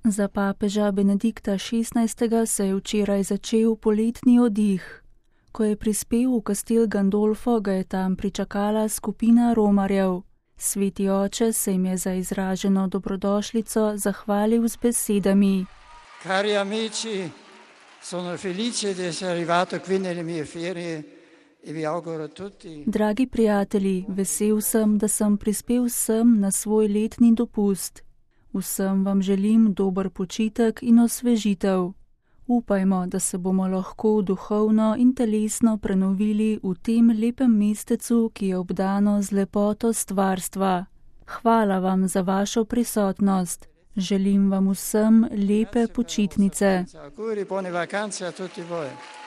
Za papeža Benedikta XVI. Se je včeraj začel poletni oddih. Ko je prispel v Castel Gandolfo, ga je tam pričakala skupina romarjev. Sveti oče se jim je za izraženo dobrodošlico zahvalil z besedami. Cari amici, sono felice di essere arrivato qui nelle mie ferie e vi auguro tutti. Dragi prijatelji, vesel sem, da sem prispel sem na svoj letni dopust. Vsem vam želim dober počitek in osvežitev. Upajmo, da se bomo lahko duhovno in telesno prenovili v tem lepem mestecu, ki je obdano z lepoto stvarstva. Hvala vam za vašo prisotnost. Želim vam vsem lepe počitnice. Auguri, buone vacanze a tutti voi.